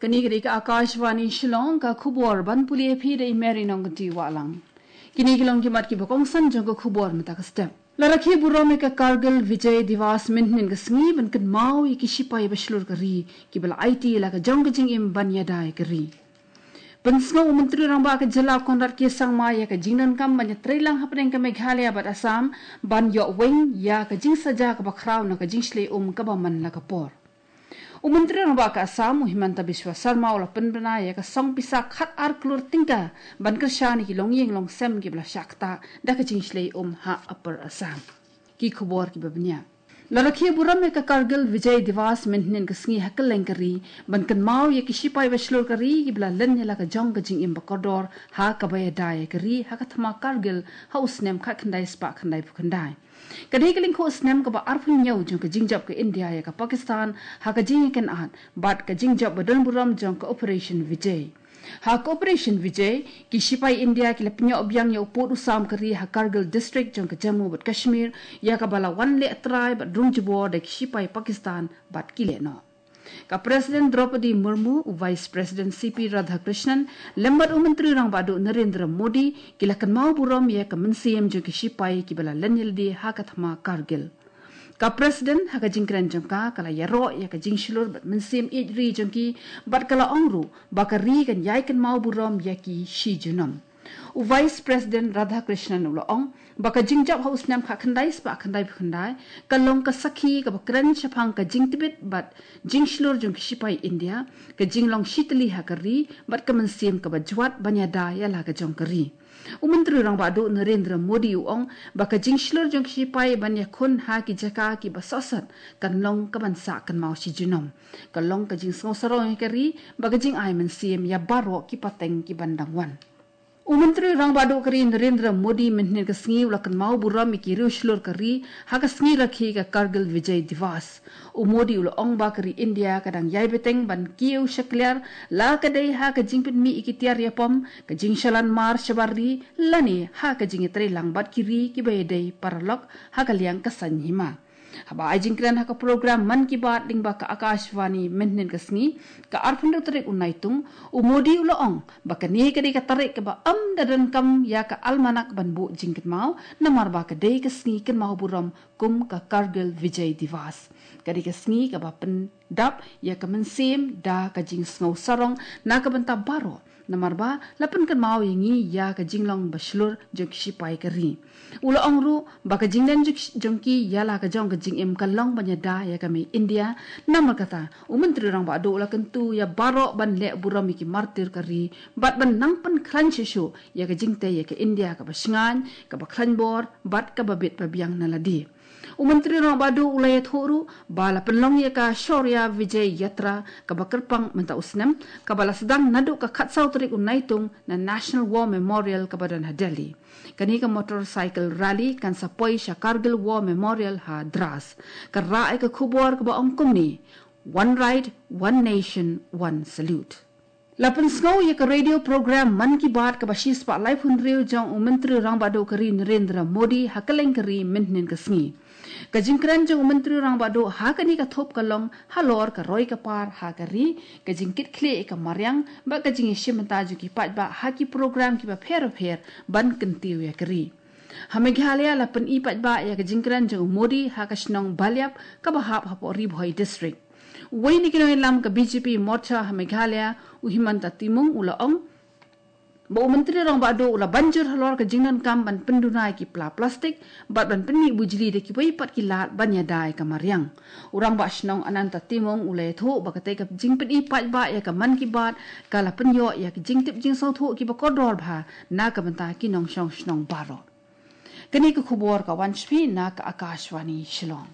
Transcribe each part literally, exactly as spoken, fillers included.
Kane ka dei ka Akashvani Shillong, ka khubor ban pule ïa phi da i Mary Nongkynti Wahlang. Kine ki long ki mat kiba kongsan jong ka khubor mynta ka step. La rakhe burom ïa ka Kargil Vijay Diwas mynhynnin ka sngi ban kynmaw ïa ki shipai ba shlur ka ri kiba la aiti la ka jong ka jingim ban ïada ïa ka ri. Pynsngew u Myntri Rangbah ka Jylla Conrad K Sangma ïa ka jingdonkam ban ïatreilang hapdeng ka Meghalaya bad Assam ban ïoh weng ïa ka jingsaja kaba khraw na ka jingshlei um kaba man la ka por. U Myntri Rangbah ka Assam, u Himanta Biswa Sarma, u la pynbna ïa ka song pisa khat ar klur tyngka ban kyrshan ïa ki longïing longsem kiba la shah ktah da ka jingshlei um ha Upper Assam. Ki khubor kiba bniah. La rakhe burom ïa ka Kargil Vijay Diwas mynhynnin ka sngi ha kylleng ka ri ban kynmaw ïa ki shipai ba shlur ka ri kiba la len ïa la ka jong ka jingim ba kordor ha kaba ïada ïa ka ri ha ka thma Kargil ha u snem khatkhyndai spah khyndaiphew khyndai. Ka dei ka lyngkhuh snem kaba arphew hynñiew jong ka jingjop ka India ïa ka Pakistan ha ka jingïakynad bad ka jingjop ba don burom jong ka Operation Vijay. Ha ka Operation Vijay, ki shipai India ki la pynïoh biang ïa u pud u sam ka ri ha Kargil District jong ka Jammu bad Kashmir, ïa kaba la wan leh trai bad rung jubor da ki shipai Pakistan bad ki lehnoh. Ka President Droupadi Murmu, u Vice President C P Radhakrishnan, lem bad u Myntri Rangbah Duh Narendra Modi, ki la kynmaw burom ïa ka mynsiem jong ki shipai kiba la len ïalade ha ka thma Kargil. Ka President ha ka jingkren jong ka, ka la ïaroh ïa ka jingshlur bad mynsiem ïeit ri jong ki, bad ka la ong ruh ba ka ri kan ïai kynmaw burom ïa ki shi junom. U Vice President Radhakrishnan u la ong ba ka jingjop ha u snem khatkhyndai spah khyndaiphew khyndai ka long ka sakhi kaba kren shaphang ka jingtbit bad jingshlur jong ki shipai India, ka jinglong shitylli ha ka ri bad ka mynsiem kaba jwat ban ïada ïa la ka jong ka ri. U Myntri Rangbah Duh Narendra Modi u ong ba ka jingshlur jong ki shipai ban ïakhun ha ki jaka kiba sosot kan long kaban sah kynmaw shi junom. Ka long ka jingsngew sarong ïa ka ri bad ka jingai mynsiem ïa baroh ki pateng kiban dang wan. U Myntri Rangbah Duh ka ri Narendra Modi mynhynnin ka sngi u la kynmaw burom ïa ki riewshlur ka ri ha ka sngi rakhe ka Kargil Vijay Diwas. U Modi u la ong ba ka ri India ka dang ïai bteng ban kiew shakliar, la ka dei ha ka jingpynmih ïa ki tiar ïapom, ka jingshalan mar shabar ri, lane ha ka jingïatreilang bad ki ri kiba ïadei paralok ha ka liang ka saiñ hima. Haba ai jingkren ha ka program Mann Ki Baat lyngba ka Akashvani mynhynnin ka sngi, ka arphew hynriew tarik u Naitung, u Modi u la ong ba kane ka dei ka tarik kaba ym da donkam ïa ka almanak ban buh jingkynmaw, namar ba ka dei ka sngi kynmaw burom kum ka Kargil Vijay Diwas. Ka dei ka sngi kaba pyndap ïa ka mynsiem da ka jingsngew sarong na ka bynta baroh, namar ba la pynkynmaw ïa ngi ïa ka jinglong ba shlur jong ki shipai ka ri. U la ong ruh ba ka jinglen jong ki ïa la ka jong ka jingim ka long ban ïada ïa ka mei India. Namar kata, u Myntri Rangbah Duh u la kyntu ïa baroh ban leh burom ïa ki martir ka ri bad ban nang pynkhlaiñ shuh shuh ïa ka jingtei ïa ka India kaba shngaiñ, kaba khlaiñ bor bad kaba bit ba biang na lade. U Myntri Rangbah Duh u la ïathuh ruh ba la pynlong ïa ka Shaurya Vijay Yatra kaba kyrpang mynta u snem, kaba la sdang naduh ka khatsaw tarik u Naitung na National War Memorial kaba don ha Delhi. Kane ka motorcycle rally kan sa poi sha Kargil War Memorial ha Dras. Ka rah ïa ka khubor kaba ong kumne: One Ride, One Nation, One Salute. La pynsngew ïa ka radio program Mann Ki Baat kaba shispah laiphew hynriew jong u Myntri Rangbah Duh ka ri Narendra Modi ha kylleng ka ri mynhynnin ka sngi. Ka jingkren jong u Myntri Rangbah Duh ha kane ka thup ka long halor ka roi ka par ha ka ri, ka jingkitkhlieh ïa ka mariang bad ka jingïashim bynta jong ki paidbah ha ki program kiba pher bapher ban kyntiew ïa ka ri. Ha Meghalaya la pyni paidbah ïa ka jingkren jong u Modi ha ka shnong Baliap kaba hap hapoh Ri Bhoi District. Uwei na ki nongïalam ka B J P Morcha ha Meghalaya, u Himanta Timung u la ong ba u Myntri Rangbah Duh u la ban jur halor ka jingdonkam ban pynduna ïa ki pla plastik bad ban pynmih bujli da kiwei pat ki lad ban ïada ïa ka mariang. U Rangbah Shnong Ananta Timung u la ïathuh ba katei ka jingpyni paidbah ïa ka Mann Ki Baat ka la pynïoh ïa ka jingtip jingsngewthuh kiba kordor bha na ka bynta ki nongshong shnong baroh. Kane ka khubor ka wan sha phi na ka Akashvani Shillong.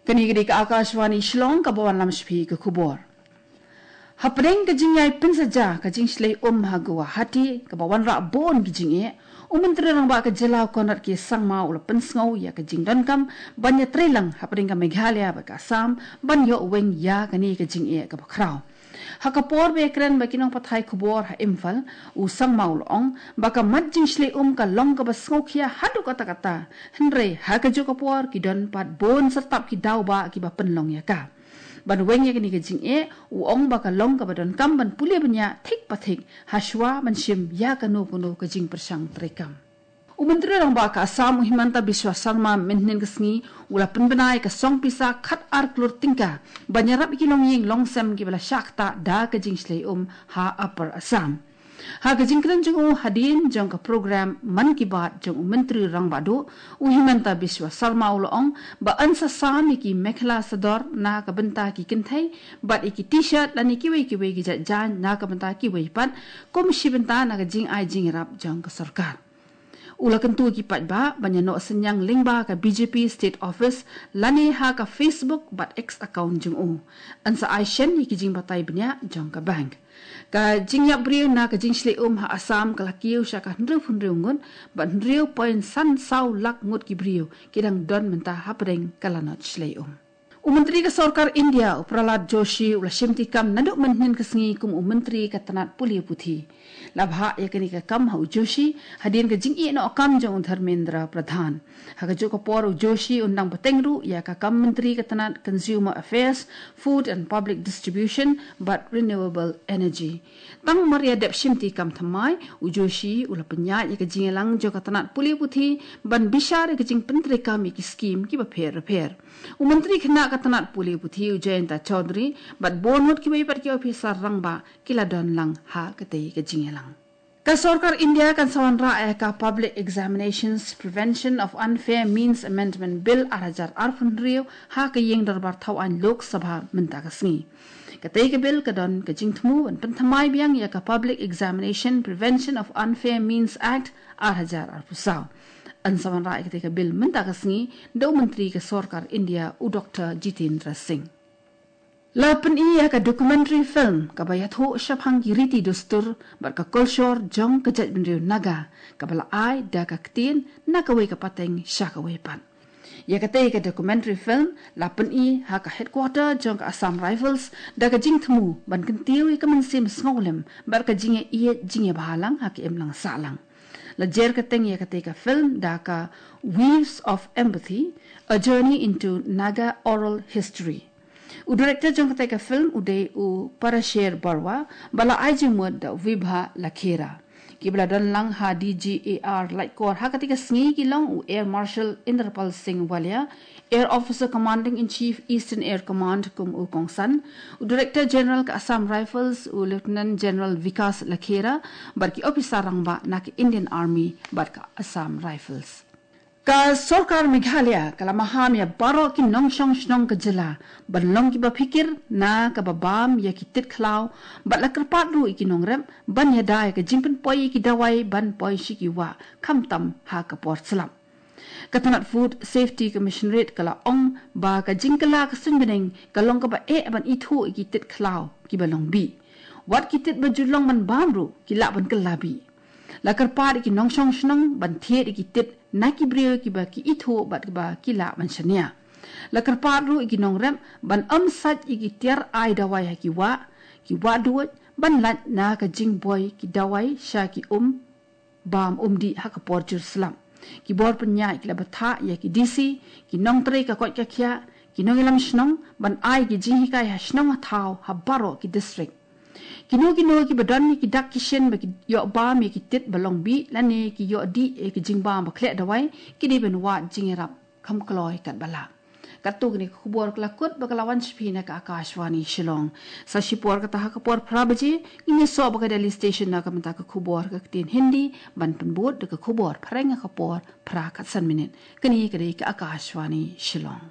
Kane ka dei ka Akashvani Shillong kaba wanlam sha phi ka khubor. Hapdeng ka jingïai pynsaja ka jingshlei um ha Guwahati kaba wanrah bun ki jingeh, u Myntri Rangbah ka Jylla u Conrad K Sangma u la pynsngew ïa ka jingdonkam ban ïatreilang hapdeng ka Meghalaya bad ka Assam ban ïoh weng ïa kane ka jingeh kaba khraw. Ha ka por ba ïakren bad ki nongpathai khubor ha Imphal, u Sangma u la ong ba ka mat jingshlei um ka long kaba sngewkhia haduh katta katta, hynrei ha kajuh ka por ki don pat bun syrtap ki daw ba kiba pynlong ïa ka. Ban weng ïa kane ka jingeh, u ong ba ka long kaba donkam ban pule bniah thik pa thik, hashwa ban shim ïa kano kano ka jingpyrshang treikam. U Myntri Rangbah ka Assam, u Himanta Biswa Sarma, mynhynnin ka sngi u la pynbna ïa ka song pisa khat ar klur tyngka ban ïarap ïa ki longïing longsem kiba la shah ktah da ka jingshlei um ha Upper Assam. Ha ka jingkren jong u hadien jong ka program Mann Ki Baat jong u Myntri Rangbah Duh, u Himanta Biswa Sarma u la ong ba yn sa sam ïa ki mekhla sador na ka bynta ki kynthei bad ïa ki t-shirt lane kiwei kiwei ki jait jaiñ na ka bynta kiwei pat, kum shi bynta na ka jingai jingïarap jong ka sorkar. U la kyntu ïa ki paidbah ban ïa noh synñiang lyngba ka B J P State Office lane ha ka Facebook bad X account jong u. Yn sa ai shen ïa ki jingbatai bniah jong ka bank. Ka jingïap briew na ka jingshlei um ha Assam ka la kiew sha ka hynriewphew hynriew ngut, bad hynriew point san saw lak ngut ki briew ki dang don mynta hapdeng ka lanot shlei um. U Myntri ka Sorkar India, u Prahlad Joshi, u la shimti kam naduh mynhynnin ka sngi kum u Myntri ka tnat pule puthi. La bhah ïa kane ka kam ha u Joshi hadien ka jingïehnoh kam jong u Dharmendra Pradhan. Ha kajuh ka por, u Joshi un dang bteng ruh ïa ka kam Myntri ka tnat Consumer Affairs, Food and Public Distribution bad Renewable Energy. Tang mar ïa dep shimti kam thymmai, u Joshi u la pynïaid ïa ka jingïalang jong ka tnat pule puthi ban bishar ïa ka jingpyntreikam ïa ki skim kiba pher bapher. U Myntri khynnah ka tnat pule puthi, u Jayanta Chaudhary, bad bun ngut kiwei pat ki ophisar rangbah ki la don lang ha katei ka jingïalang. Ka Sorkar India kan sa wanrah ïa ka Public Examinations Prevention of Unfair Means Amendment Bill ar hajar arphew hynriew ha ka ïing dorbar thawaiñ Lok Sabha mynta ka sngi. Katei ka bill ka don ka jingthmu ban pynthymmai biang ïa ka Public Examination Prevention of Unfair Means Act ar hajar arphew saw. Yn sa wanrah ïa katei ka bill mynta ka sngi da u Myntri ka Sorkar India, u Doktor Jitendra Singh. La pyni ïa ka documentary film kaba ïathuh shaphang ki riti dustur bad ka kolshor jong ka jaitbynriew Naga, kaba la ai da ka ktien na kawei ka pateng sha kawei pat. Ïa katei ka documentary film la pyni ha ka headquarter jong ka Assam Rifles da ka jingthmu ban kyntiew ïa ka mynsiem sngewlem bad ka jingïaieit jingïabhalang ha ka imlang sahlang. La jer kyrteng ïa katei ka film da ka Weaves of Empathy, A Journey into Naga Oral History. U director jong katei ka film u dei u Parasher Barua, ba la ai jingmut da u Vibha Lakhera. Kiba la don lang ha D G A R Laitkor ha katei ka sngi ki long u Air Marshal Inderpal Singh Walia, Air Officer Commanding in Chief Eastern Air Command kum u kongsan, u Director General ka Assam Rifles u Lieutenant General Vikas Lakhera, bad ki ophisar rangbah na ka Indian Army bad ka Assam Rifles. Ka Sorkar Meghalaya ka la maham ïa baroh ki nongshong shnong ka jylla ban long kiba phikir na kaba bam ïa ki tit khlaw, bad la kyrpad ruh ïa ki nongrep ban ïada ïa ka jingpynpoi ïa ki dawai ban poi sha ki wah khamtam ha ka por slap. Ka tnat Food Safety Commissionerate ka la ong ba ka jingkylla ka suiñbneng ka long kaba eh ban ithuh ïa ki tit khlaw kiba long bih. Wat ki tit ba ju long ban bam ruh ki lah ban kylla bih. La kyrpad ïa ki nongshong shnong ban thied ïa ki tit na ki briew kiba ki ithuh bad kiba ki lah ban shaniah. La kyrpad ruh ïa ki nongrep ban ym sait ïa ki tiar ai dawai ha ki wah, ki wah duid, ban lait na ka jingbuh ki dawai sha ki um bam um dih ha ka por jur slap. Ki bor pynïaid ki la bthah ïa ki D C, ki nongtrei ka koit ka khiah, ki nongïalam shnong ban ai ki jinghikai ha shnong ha thaw ha baroh ki district. Kino kino kiba don ïa ki dak ki shin ba ki ïoh bam ïa ki tit ba long bih lane ki ïoh dih ïa ki jingbam ba khleh dawai, ki dei ban wad jingïarap kham kloi katba lah. Katto kine ki khubor ka la kut ba ka la wan sha phi na ka Akashvani Shillong. Sa shipor kata ha ka por phra baje ngin ïasoh bad ka Delhi Station na ka bynta ka khubor ka ktien Hindi, ban pynbud da ka khubor phareng ha ka por phra khatsan minit. Kane ka dei ka Akashvani Shillong.